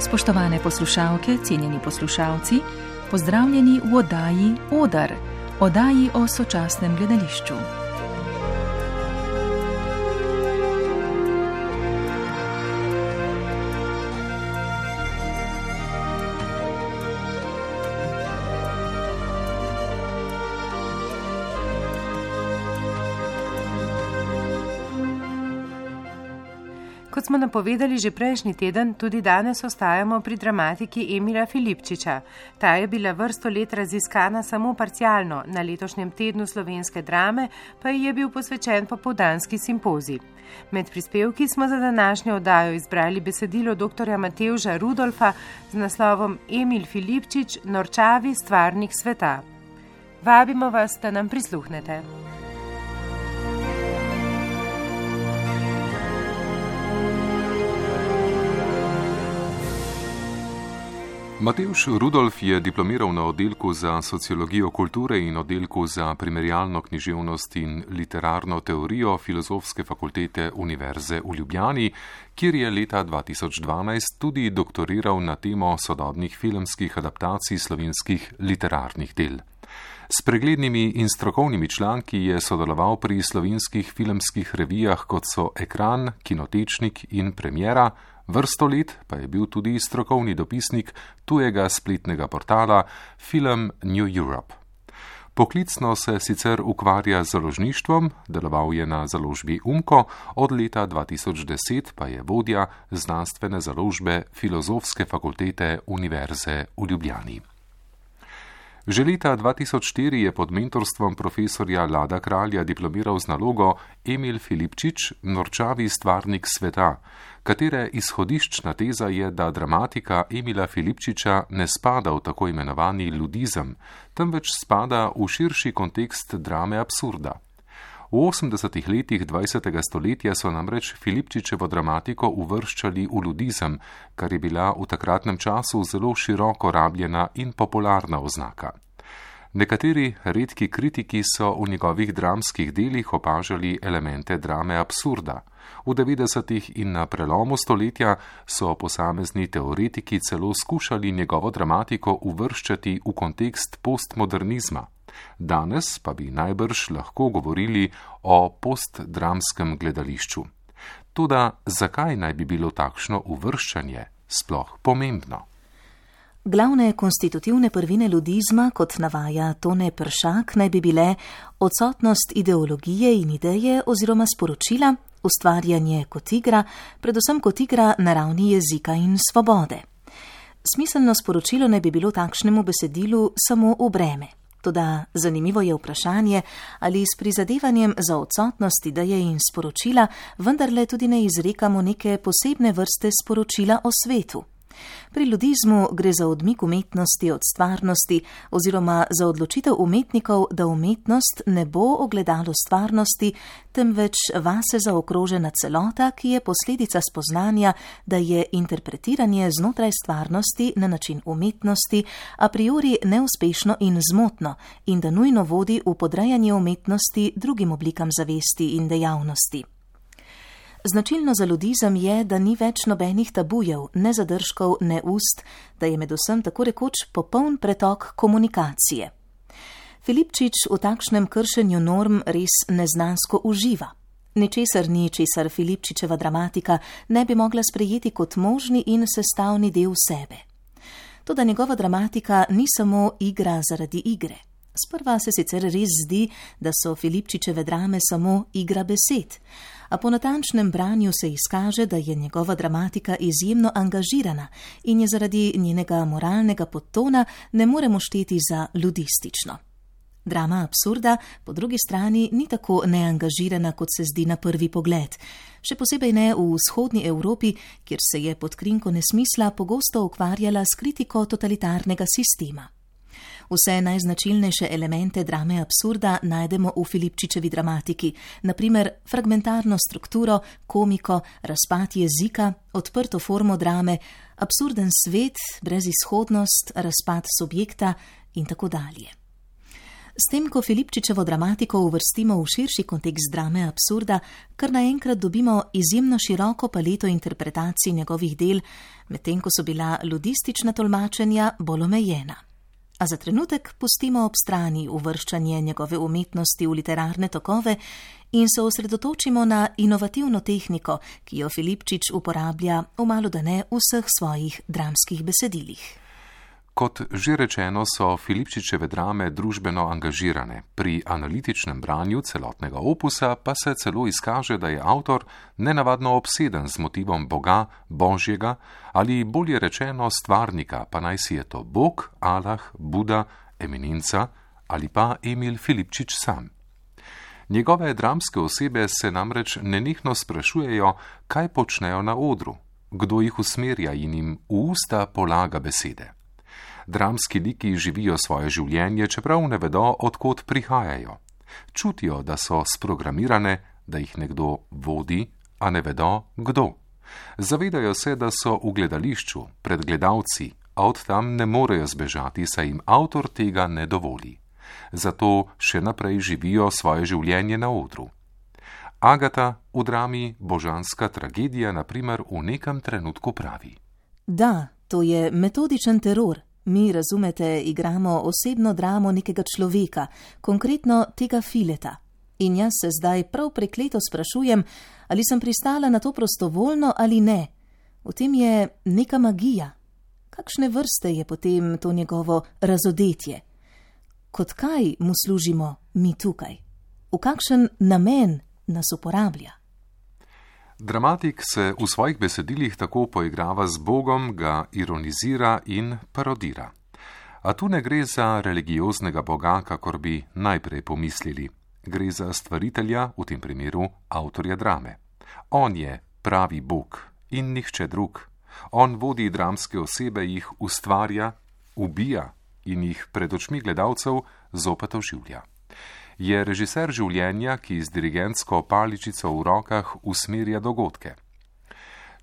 Spoštovane poslušalke, cenjeni poslušalci, pozdravljeni v oddaji Odar, oddaji o sočasnem gledališču. Kot smo napovedali že prejšnji teden, tudi danes ostajamo pri dramatiki Emila Filipčiča. Ta je bila vrsto let raziskana samo parcialno, na letošnjem tednu slovenske drame pa ji je bil posvečen popoldanski simpozij. Med prispevki smo za današnjo oddajo izbrali besedilo dr. Matevža Rudolfa z naslovom Emil Filipčič, norčavi stvarnik sveta. Vabimo vas, da nam prisluhnete. Matevž Rudolf je diplomiral na oddelku za sociologijo kulture in oddelku za primerjalno književnost in literarno teorijo Filozofske fakultete Univerze v Ljubljani, kjer je leta 2012 tudi doktoriral na temo sodobnih filmskih adaptacij slovenskih literarnih del. S preglednimi in strokovnimi članki je sodeloval pri slovenskih filmskih revijah, kot so Ekran, Kinotečnik in Premiera, vrsto let pa je bil tudi strokovni dopisnik tujega spletnega portala Film New Europe. Poklicno se sicer ukvarja z založništvom, deloval je na založbi Umko, od leta 2010 pa je vodja znanstvene založbe Filozofske fakultete Univerze v Ljubljani. Že leta 2004 je pod mentorstvom profesorja Lada Kralja diplomiral z nalogo Emil Filipčič, norčavi stvarnik sveta, katere izhodiščna teza je, da dramatika Emila Filipčiča ne spada v tako imenovani ludizem, temveč spada v širši kontekst drame absurda. V 80. letih 20. stoletja so namreč Filipčičevo dramatiko uvrščali v ludizem, kar je bila v takratnem času zelo široko rabljena in popularna oznaka. Nekateri redki kritiki so v njegovih dramskih delih opažali elemente drame absurda. V 90. in na prelomu stoletja so posamezni teoretiki celo skušali njegovo dramatiko uvrščati v kontekst postmodernizma. Danes pa bi najbrž lahko govorili o postdramskem gledališču. Toda zakaj naj bi bilo takšno uvrščanje sploh pomembno? Glavne konstitutivne prvine ludizma, kot navaja Tone Peršak, naj bi bile odsotnost ideologije in ideje oziroma sporočila, ustvarjanje kot igra, predvsem kot igra na ravni jezika in svobode. Smiselno sporočilo naj bi bilo takšnemu besedilu samo v breme. Toda zanimivo je vprašanje, ali s prizadevanjem za odsotnost ideje in sporočila vendarle tudi ne izrekamo neke posebne vrste sporočila o svetu. Pri ludizmu gre za odmik umetnosti od stvarnosti oziroma za odločitev umetnikov, da umetnost ne bo ogledalo stvarnosti, temveč vase zaokrožena celota, ki je posledica spoznanja, da je interpretiranje znotraj stvarnosti na način umetnosti a priori neuspešno in zmotno in da nujno vodi v podrejanje umetnosti drugim oblikam zavesti in dejavnosti. Značilno za ludizem je, da ni več nobenih tabujev, ne zadržkov, ne ust, da je med vsem tako rekoč popoln pretok komunikacije. Filipčič v takšnem kršenju norm res neznansko uživa. Ničesar ni, česar Filipčičeva dramatika ne bi mogla sprejeti kot možni in sestavni del sebe. Toda njegova dramatika ni samo igra zaradi igre. Sprva se sicer res zdi, da so Filipčičeve drame samo igra besed, a po natančnem branju se izkaže, da je njegova dramatika izjemno angažirana in je zaradi njenega moralnega podtona ne moremo šteti za ludistično. Drama absurda po drugi strani ni tako neangažirana, kot se zdi na prvi pogled, še posebej ne v vzhodni Evropi, kjer se je pod krinko nesmisla pogosto ukvarjala s kritiko totalitarnega sistema. Vse najznačilnejše elemente drame absurda najdemo v Filipčičevi dramatiki, naprimer fragmentarno strukturo, komiko, razpad jezika, odprto formo drame, absurden svet, brezizhodnost, razpad subjekta in tako dalje. S tem, ko Filipčičevo dramatiko uvrstimo v širši kontekst drame absurda, kar naenkrat dobimo izjemno široko paleto interpretacij njegovih del, medtem ko so bila ludistična tolmačenja bolj omejena. A za trenutek pustimo ob strani uvrščanje njegove umetnosti v literarne tokove in se osredotočimo na inovativno tehniko, ki jo Filipčič uporablja v malodane vseh svojih dramskih besedilih. Kot že rečeno, so Filipčičeve drame družbeno angažirane, pri analitičnem branju celotnega opusa pa se celo izkaže, da je avtor nenavadno obseden z motivom Boga, Božjega ali bolje rečeno stvarnika, pa naj si je to Bog, Allah, Buda, eminenca ali pa Emil Filipčič sam. Njegove dramske osebe se namreč nenehno sprašujejo, kaj počnejo na odru, kdo jih usmerja in jim v usta polaga besede. Dramski liki živijo svoje življenje, čeprav ne vedo, odkot prihajajo. Čutijo, da so sprogramirane, da jih nekdo vodi, a ne vedo, kdo. Zavedajo se, da so v gledališču, pred gledalci, a od tam ne morejo zbežati, saj jim avtor tega ne dovoli. Zato še naprej živijo svoje življenje na odru. Agata v drami Božanska tragedija, na primer, v nekem trenutku pravi: Da, to je metodičen teror. Mi, razumete, igramo osebno dramo nekega človeka, konkretno tega Fileta. In jaz se zdaj prav prekleto sprašujem, ali sem pristala na to prostovoljno ali ne. V tem je neka magija. Kakšne vrste je potem to njegovo razodetje? Kot kaj mu služimo mi tukaj? V kakšen namen nas uporablja? Dramatik se v svojih besedilih tako poigrava z Bogom, ga ironizira in parodira. A tu ne gre za religioznega Boga, kakor bi najprej pomislili. Gre za stvaritelja, v tem primeru avtorja drame. On je pravi Bog in nihče drug. On vodi dramske osebe, jih ustvarja, ubija in jih pred očmi gledalcev zopet oživlja. Je režiser življenja, ki z dirigentsko paličico v rokah usmerja dogodke.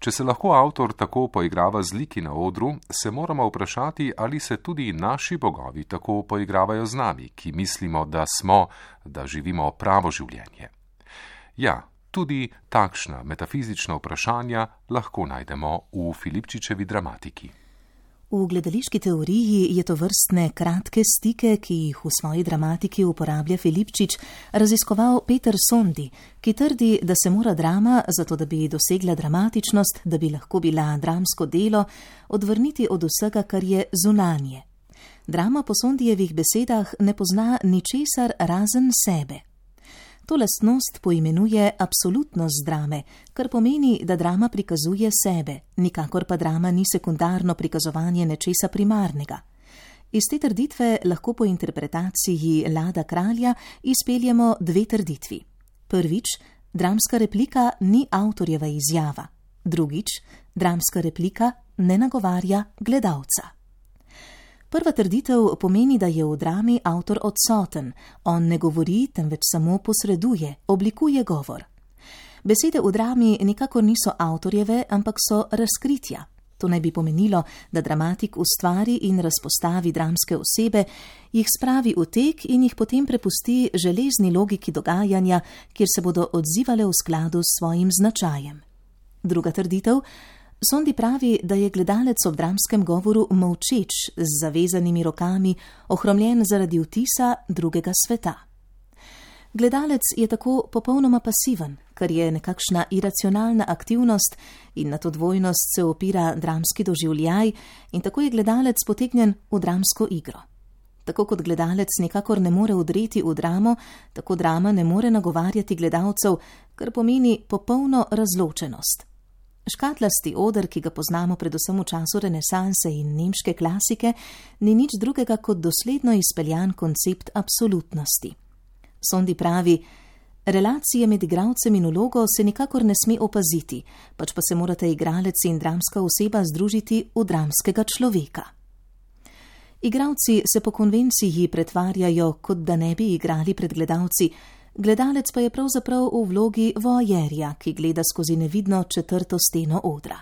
Če se lahko avtor tako poigrava z liki na odru, se moramo vprašati, ali se tudi naši bogovi tako poigravajo z nami, ki mislimo, da smo, da živimo pravo življenje. Ja, tudi takšna metafizična vprašanja lahko najdemo v Filipčičevi dramatiki. V gledališki teoriji je to vrstne kratke stike, ki jih v svoji dramatiki uporablja Filipčič, raziskoval Peter Sondi, ki trdi, da se mora drama, zato da bi dosegla dramatičnost, da bi lahko bila dramsko delo, odvrniti od vsega, kar je zunanje. Drama po Sondijevih besedah ne pozna ničesar razen sebe. To lastnost poimenuje absolutnost drame, kar pomeni, da drama prikazuje sebe, nikakor pa drama ni sekundarno prikazovanje nečesa primarnega. Iz te trditve lahko po interpretaciji Lada Kralja izpeljemo dve trditvi. Prvič, dramska replika ni avtorjeva izjava. Drugič, dramska replika ne nagovarja gledalca. Prva trditev pomeni, da je v drami avtor odsoten, on ne govori, temveč samo posreduje, oblikuje govor. Besede v drami nikakor niso avtorjeve, ampak so razkritja. To naj bi pomenilo, da dramatik ustvari in razpostavi dramske osebe, jih spravi v tek in jih potem prepusti železni logiki dogajanja, kjer se bodo odzivale v skladu s svojim značajem. Druga trditev: Sondi pravi, da je gledalec ob dramskem govoru molčeč, z zavezanimi rokami, ohromljen zaradi vtisa drugega sveta. Gledalec je tako popolnoma pasiven, kar je nekakšna iracionalna aktivnost in na to dvojnost se opira dramski doživljaj in tako je gledalec potegnjen v dramsko igro. Tako kot gledalec nikakor ne more vdreti v dramo, tako drama ne more nagovarjati gledalcev, kar pomeni popolno razločenost. Škatlasti oder, ki ga poznamo predvsem v času renesanse in nemške klasike, ni nič drugega kot dosledno izpeljan koncept absolutnosti. Sondi pravi: relacije med igralcem in vlogo se nikakor ne sme opaziti, pač pa se morate igralec in dramska oseba združiti v dramskega človeka. Igralci se po konvenciji pretvarjajo, kot da ne bi igrali pred gledalci, gledalec pa je pravzaprav v vlogi voajerja, ki gleda skozi nevidno četrto steno odra.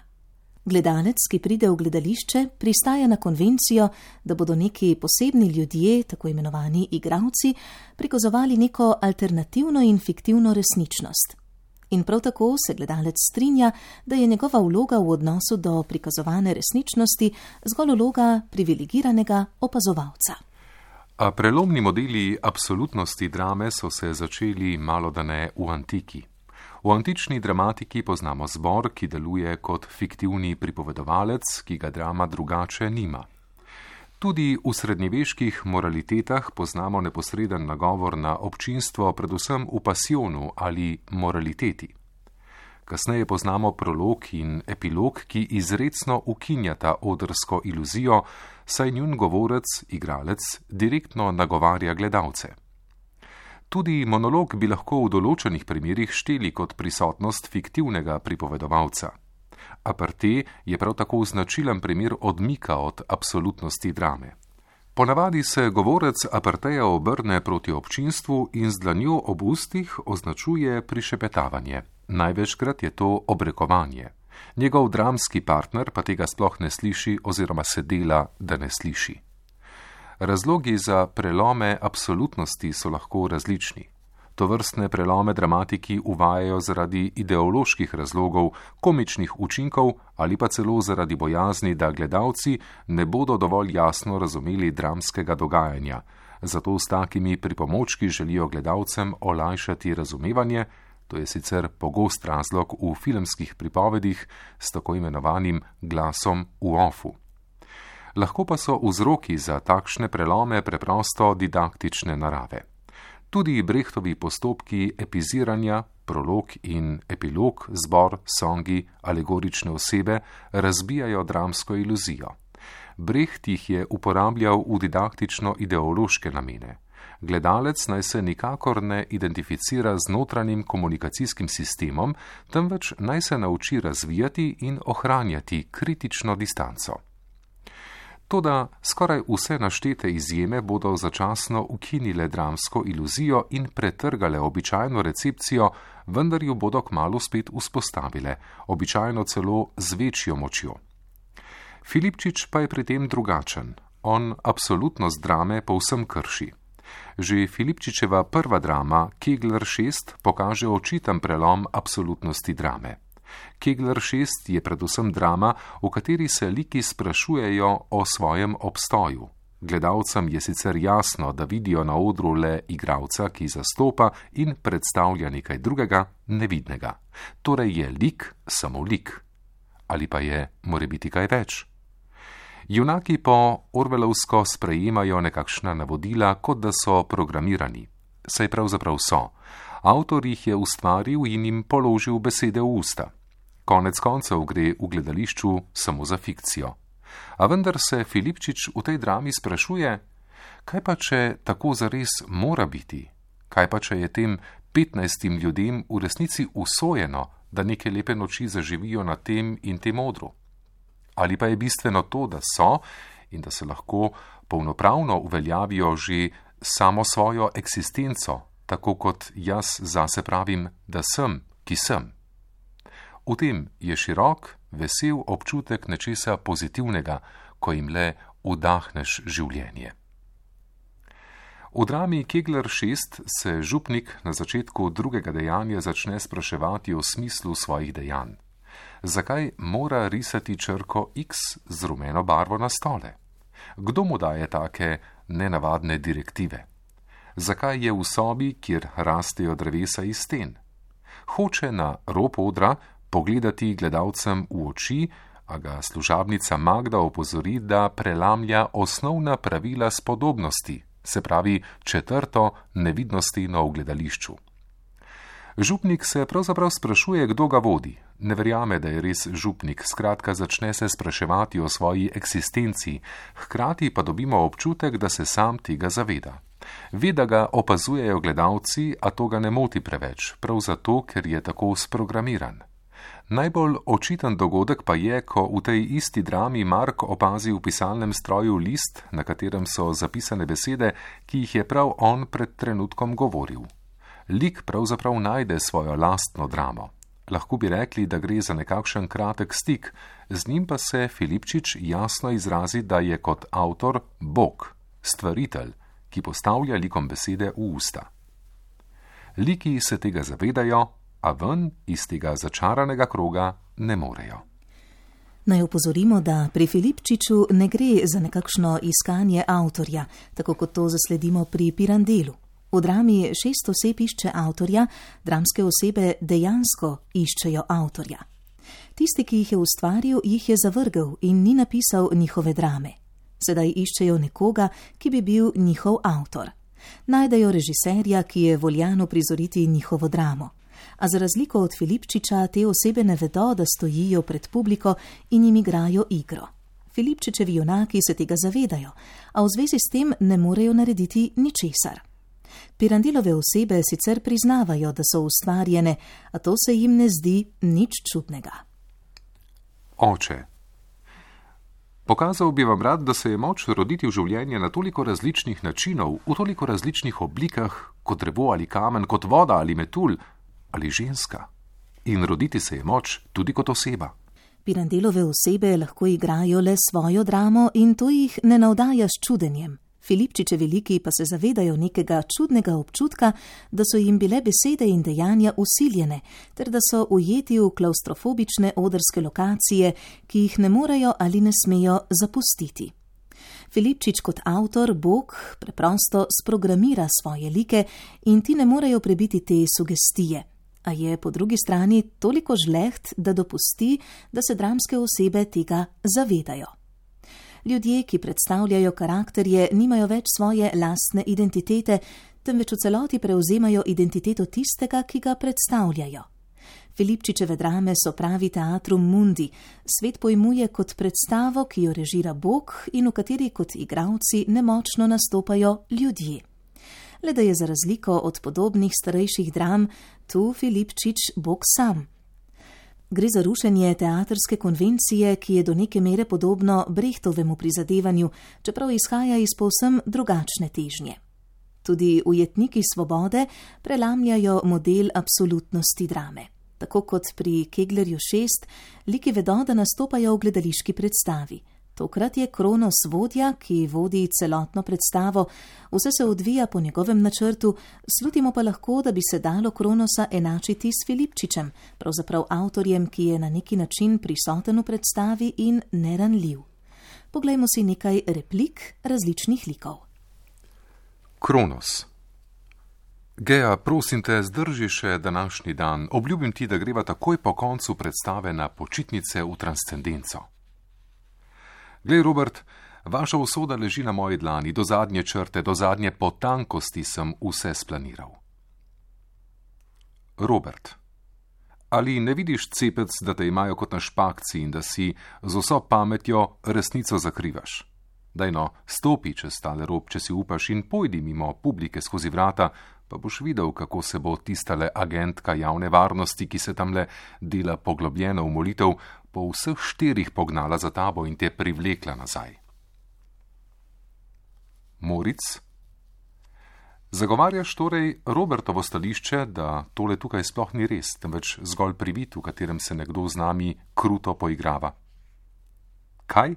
Gledalec, ki pride v gledališče, pristaja na konvencijo, da bodo neki posebni ljudje, tako imenovani igralci, prikazovali neko alternativno in fiktivno resničnost. In prav tako se gledalec strinja, da je njegova vloga v odnosu do prikazovane resničnosti zgolj vloga privilegiranega opazovalca. A prelomni modeli absolutnosti drame so se začeli malodane v antiki. V antični dramatiki poznamo zbor, ki deluje kot fiktivni pripovedovalec, ki ga drama drugače nima. Tudi v srednjeveških moralitetah poznamo neposreden nagovor na občinstvo, predvsem v pasionu ali moraliteti. Kasneje poznamo prolog in epilog, ki izrecno ukinjata odrsko iluzijo, saj njun govorec, igralec, direktno nagovarja gledalce. Tudi monolog bi lahko v določenih primerih šteli kot prisotnost fiktivnega pripovedovalca. Aparté je prav tako značilen primer odmika od absolutnosti drame. Ponavadi se govorec apartéja obrne proti občinstvu in z dlanjo ob ustih označuje prišepetavanje. Največkrat je to obrekovanje. Njegov dramski partner pa tega sploh ne sliši oziroma se dela, da ne sliši. Razlogi za prelome absolutnosti so lahko različni. Tovrstne prelome dramatiki uvajajo zaradi ideoloških razlogov, komičnih učinkov ali pa celo zaradi bojazni, da gledalci ne bodo dovolj jasno razumeli dramskega dogajanja. Zato s takimi pripomočki želijo gledalcem olajšati razumevanje, to je sicer pogost razlog v filmskih pripovedih s tako imenovanim glasom v offu. Lahko pa so vzroki za takšne prelome preprosto didaktične narave. Tudi Brechtovi postopki epiziranja, prolog in epilog, zbor, songi, alegorične osebe razbijajo dramsko iluzijo. Brecht jih je uporabljal v didaktično-ideološke namene. Gledalec naj se nikakor ne identificira z notranjim komunikacijskim sistemom, temveč naj se nauči razvijati in ohranjati kritično distanco. Toda skoraj vse naštete izjeme bodo začasno ukinile dramsko iluzijo in pretrgale običajno recepcijo, vendar jo bodo kmalu spet vzpostavile, običajno celo z večjo močjo. Filipčič pa je pri tem drugačen. On absolutnost drame povsem krši. Že Filipčičeva prva drama, Kegler 6, pokaže očiten prelom absolutnosti drame. Kegler 6 je predvsem drama, v kateri se liki sprašujejo o svojem obstoju. Gledalcem je sicer jasno, da vidijo na odru le igralca, ki zastopa in predstavlja nekaj drugega, nevidnega. Torej je lik samo lik. Ali pa je morebiti kaj več? Junaki po orwellovsko sprejemajo nekakšna navodila, kot da so programirani. Saj pravzaprav so. Avtor jih je ustvaril in jim položil besede v usta. Konec koncev gre v gledališču samo za fikcijo. A vendar se Filipčič v tej drami sprašuje, kaj pa če tako zares mora biti? Kaj pa če je tem 15 ljudem v resnici usojeno, da neke lepe noči zaživijo na tem in tem odru? Ali pa je bistveno to, da so in da se lahko polnopravno uveljavijo že samo svojo eksistenco, tako kot jaz zase pravim, da sem, ki sem? V tem je širok, vesel občutek nečesa pozitivnega, ko jim le vdahneš življenje. V drami Kegler 6 se župnik na začetku drugega dejanja začne spraševati o smislu svojih dejanj. Zakaj mora risati črko X z rumeno barvo na stole? Kdo mu daje take nenavadne direktive? Zakaj je v sobi, kjer rastejo drevesa iz sten? Hoče na rob odra pogledati gledalcem v oči, a ga služabnica Magda opozori, da prelamlja osnovna pravila spodobnosti, se pravi četrto nevidnostino v gledališču. Župnik se pravzaprav sprašuje, kdo ga vodi. Ne verjame, da je res župnik, skratka začne se spraševati o svoji eksistenci, hkrati pa dobimo občutek, da se sam tega zaveda. Ve, da ga opazujejo gledalci, a to ga ne moti preveč, prav zato, ker je tako sprogramiran. Najbolj očiten dogodek pa je, ko v tej isti drami Mark opazi v pisalnem stroju list, na katerem so zapisane besede, ki jih je prav on pred trenutkom govoril. Lik pravzaprav najde svojo lastno dramo. Lahko bi rekli, da gre za nekakšen kratek stik, z njim pa se Filipčič jasno izrazi, da je kot avtor Bog, stvaritelj, ki postavlja likom besede v usta. Liki se tega zavedajo, a ven iz tega začaranega kroga ne morejo. Naj opozorimo, da pri Filipčiču ne gre za nekakšno iskanje avtorja, tako kot to zasledimo pri Pirandelu. V drami 6 oseb išče avtorja, dramske osebe dejansko iščejo avtorja. Tisti, ki jih je ustvaril, jih je zavrgel in ni napisal njihove drame. Sedaj iščejo nekoga, ki bi bil njihov avtor. Najdejo režiserja, ki je voljan uprizoriti njihovo dramo. A za razliko od Filipčiča te osebe ne vedo, da stojijo pred publiko in jim igrajo igro. Filipčičevi junaki se tega zavedajo, a v zvezi s tem ne morejo narediti ničesar. Pirandelove osebe sicer priznavajo, da so ustvarjene, a to se jim ne zdi nič čudnega. Oče. Pokazal bi vam rad, da se je moč roditi v življenje na toliko različnih načinov, v toliko različnih oblikah, kot drevo ali kamen, kot voda ali metulj, ali ženska. In roditi se je moč tudi kot oseba. Pirandelove osebe lahko igrajo le svojo dramo in to jih ne navdaja s čudenjem. Filipčičevi liki pa se zavedajo nekega čudnega občutka, da so jim bile besede in dejanja usiljene, ter da so ujeti v klaustrofobične odrske lokacije, ki jih ne morejo ali ne smejo zapustiti. Filipčič kot avtor, Bog, preprosto sprogramira svoje like in ti ne morejo prebiti te sugestije. A je po drugi strani toliko žleht, da dopusti, da se dramske osebe tega zavedajo. Ljudje, ki predstavljajo karakterje, nimajo več svoje lastne identitete, temveč v celoti prevzemajo identiteto tistega, ki ga predstavljajo. Filipčičeve drame so pravi teatrum mundi, svet pojmuje kot predstavo, ki jo režira Bog in v kateri kot igralci nemočno nastopajo ljudje. Le da je za razliko od podobnih starejših dram tu Filipčič Bog sam. Gre za rušenje teatrske konvencije, ki je do neke mere podobno Brechtovemu prizadevanju, čeprav izhaja iz povsem drugačne težnje. Tudi ujetniki svobode prelamljajo model absolutnosti drame. Tako kot pri Keglerju 6, liki vedo, da nastopajo v gledališki predstavi. Tokrat je Kronos vodja, ki vodi celotno predstavo, vse se odvija po njegovem načrtu, slutimo pa lahko, da bi se dalo Kronosa enačiti s Filipčičem, pravzaprav avtorjem, ki je na neki način prisoten v predstavi in neranljiv. Poglejmo si nekaj replik različnih likov. Kronos. Gea, prosim te, zdrži še današnji dan. Obljubim ti, da greva takoj po koncu predstave na počitnice v transcendenco. Glej, Robert, vaša usoda leži na moji dlani, do zadnje črte, do zadnje potankosti sem vse splaniral. Robert, ali ne vidiš, cepec, da te imajo kot na špakci in da si z vso pametjo resnico zakrivaš? Daj no, stopi čez tale rob, če si upaš, in pojdi mimo publike skozi vrata, pa boš videl, kako se bo tistale agentka javne varnosti, ki se tamle dela poglobljeno v molitev, po vseh 4 pognala za tabo in te privlekla nazaj. Moric, zagovarjaš torej Robertovo stališče, da tole tukaj sploh ni res, temveč zgolj privid, v katerem se nekdo z nami kruto poigrava. Kaj?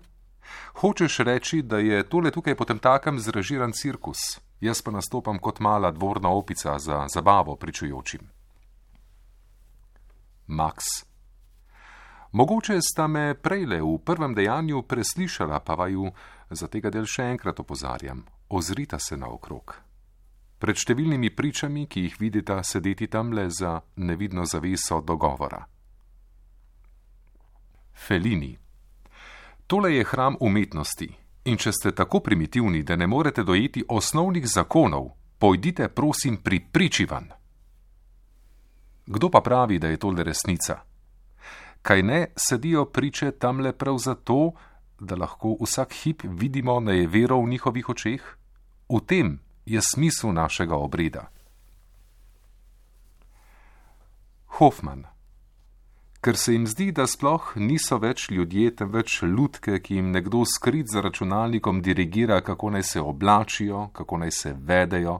Hočeš reči, da je tole tukaj potemtakem zrežiran cirkus, jaz pa nastopam kot mala dvorna opica za zabavo pričujočim. Max, mogoče sta me prejle v prvem dejanju preslišala, pa vaju za tega del še enkrat opozarjam, ozrita se naokrog. Pred številnimi pričami, ki jih vidita sedeti tamle za nevidno zaveso dogovora. Fellini, tole je hram umetnosti in če ste tako primitivni, da ne morete dojeti osnovnih zakonov, pojdite prosim pri priči van. Kdo pa pravi, da je tole resnica? Kaj ne sedijo priče tamle prav zato, da lahko vsak hip vidimo nejevero v njihovih očeh? V tem je smisel našega obreda. Hoffman, ker se jim zdi, da sploh niso več ljudje, temveč lutke, ki jim nekdo skrit za računalnikom dirigira, kako naj se oblačijo, kako naj se vedejo,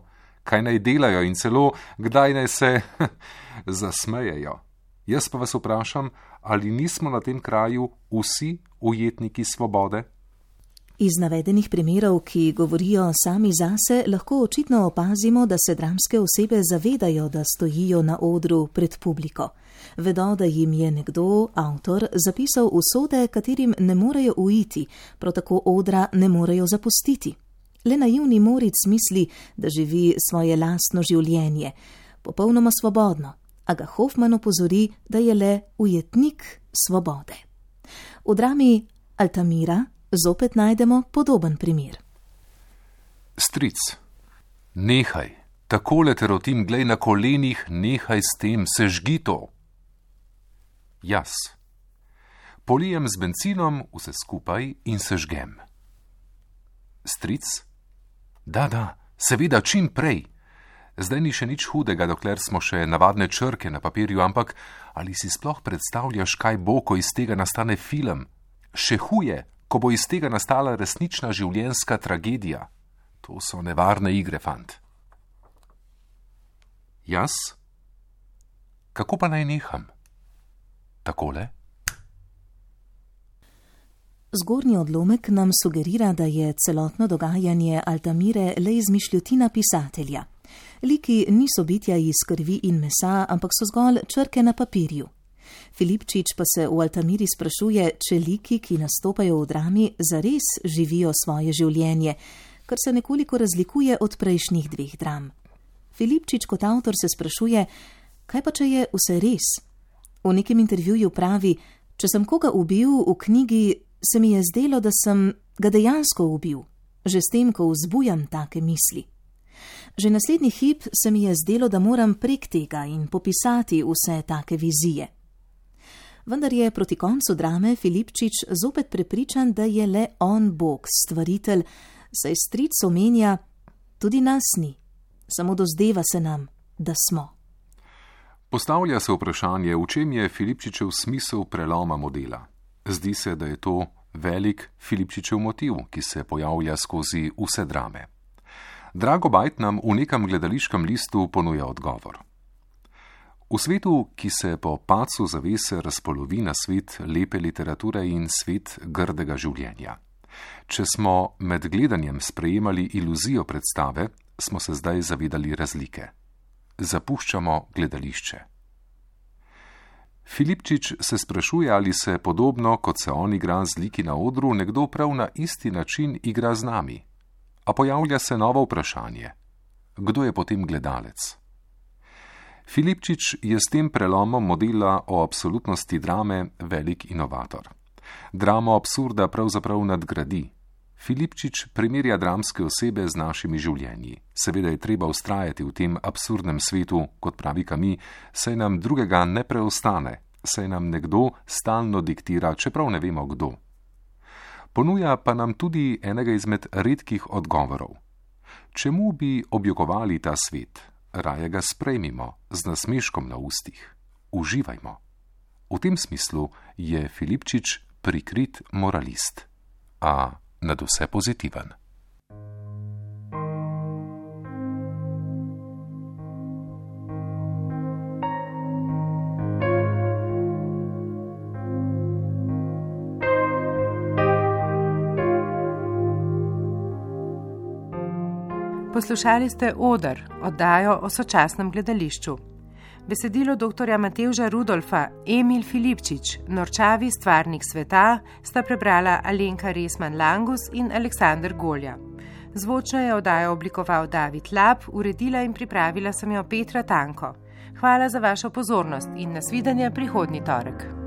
kaj naj delajo in celo kdaj naj se zasmejejo. Jaz pa vas vprašam, ali nismo na tem kraju vsi ujetniki svobode? Iz navedenih primerov, ki govorijo sami zase, lahko očitno opazimo, da se dramske osebe zavedajo, da stojijo na odru pred publiko. Vedo, da jim je nekdo, avtor, zapisal usode, katerim ne morejo uiti, prav tako odra ne morejo zapustiti. Le naivni Moritz misli, da živi svoje lastno življenje, popolnoma svobodno, a ga Hoffmann opozori, da je le ujetnik svobode. V drami Altamira zopet najdemo podoben primer. Stric, nehaj, takole te rotim, glej na kolenih, nehaj s tem, sežgi to. Jaz, polijem z bencinom vse skupaj in sežgem. Stric, da, seveda čim prej. Zdaj ni še nič hudega, dokler smo še navadne črke na papirju, ampak ali si sploh predstavljaš, kaj bo, ko iz tega nastane film? Še huje, ko bo iz tega nastala resnična življenjska tragedija. To so nevarne igre, fant. Jaz? Kako pa naj neham? Takole? Zgornji odlomek nam sugerira, da je celotno dogajanje Altamire le izmišljotina pisatelja. Liki niso bitja iz krvi in mesa, ampak so zgolj črke na papirju. Filipčič pa se v Altamiri sprašuje, če liki, ki nastopajo v drami, zares živijo svoje življenje, kar se nekoliko razlikuje od prejšnjih dveh dram. Filipčič kot avtor se sprašuje, kaj pa če je vse res? V nekem intervjuju pravi, če sem koga ubil v knjigi, se mi je zdelo, da sem ga dejansko ubil, že s tem, ko vzbujam take misli. Že naslednji hip se mi je zdelo, da moram prek tega in popisati vse take vizije. Vendar je proti koncu drame Filipčič zopet prepričan, da je le on Bog, stvaritelj, saj stric omenja, tudi nas ni, samo dozdeva se nam, da smo. Postavlja se vprašanje, v čem je Filipčičev smisel preloma modela. Zdi se, da je to velik Filipčičev motiv, ki se pojavlja skozi vse drame. Drago Bajt nam v nekem gledališkem listu ponuja odgovor. V svetu, ki se po padcu zavese razpolovi na svet lepe literature in svet grdega življenja. Če smo med gledanjem sprejemali iluzijo predstave, smo se zdaj zavedali razlike. Zapuščamo gledališče. Filipčič se sprašuje, ali se podobno, kot se on igra z liki na odru, nekdo prav na isti način igra z nami. A pojavlja se novo vprašanje. Kdo je potem gledalec? Filipčič je s tem prelomom modela o absolutnosti drame velik inovator. Dramo absurda pravzaprav nadgradi. Filipčič primerja dramske osebe z našimi življenji. Seveda je treba vztrajati v tem absurdnem svetu, kot pravi Camus, saj nam drugega ne preostane, saj nam nekdo stalno diktira, čeprav ne vemo kdo. Ponuja pa nam tudi enega izmed redkih odgovorov. Čemu bi objokovali ta svet? Raje ga sprejmimo z nasmeškom na ustih. Uživajmo. V tem smislu je Filipčič prikrit moralist, a nadvse pozitiven. Poslušali ste Oder, oddajo o sočasnem gledališču. Besedilo dr. Matevža Rudolfa, Emil Filipčič, Norčavi stvarnik sveta sta prebrala Alenka Resman-Langus in Aleksander Golja. Zvočno je oddajo oblikoval David Lab, uredila in pripravila sem jo Petra Tanko. Hvala za vašo pozornost in nasvidenje prihodnji torek.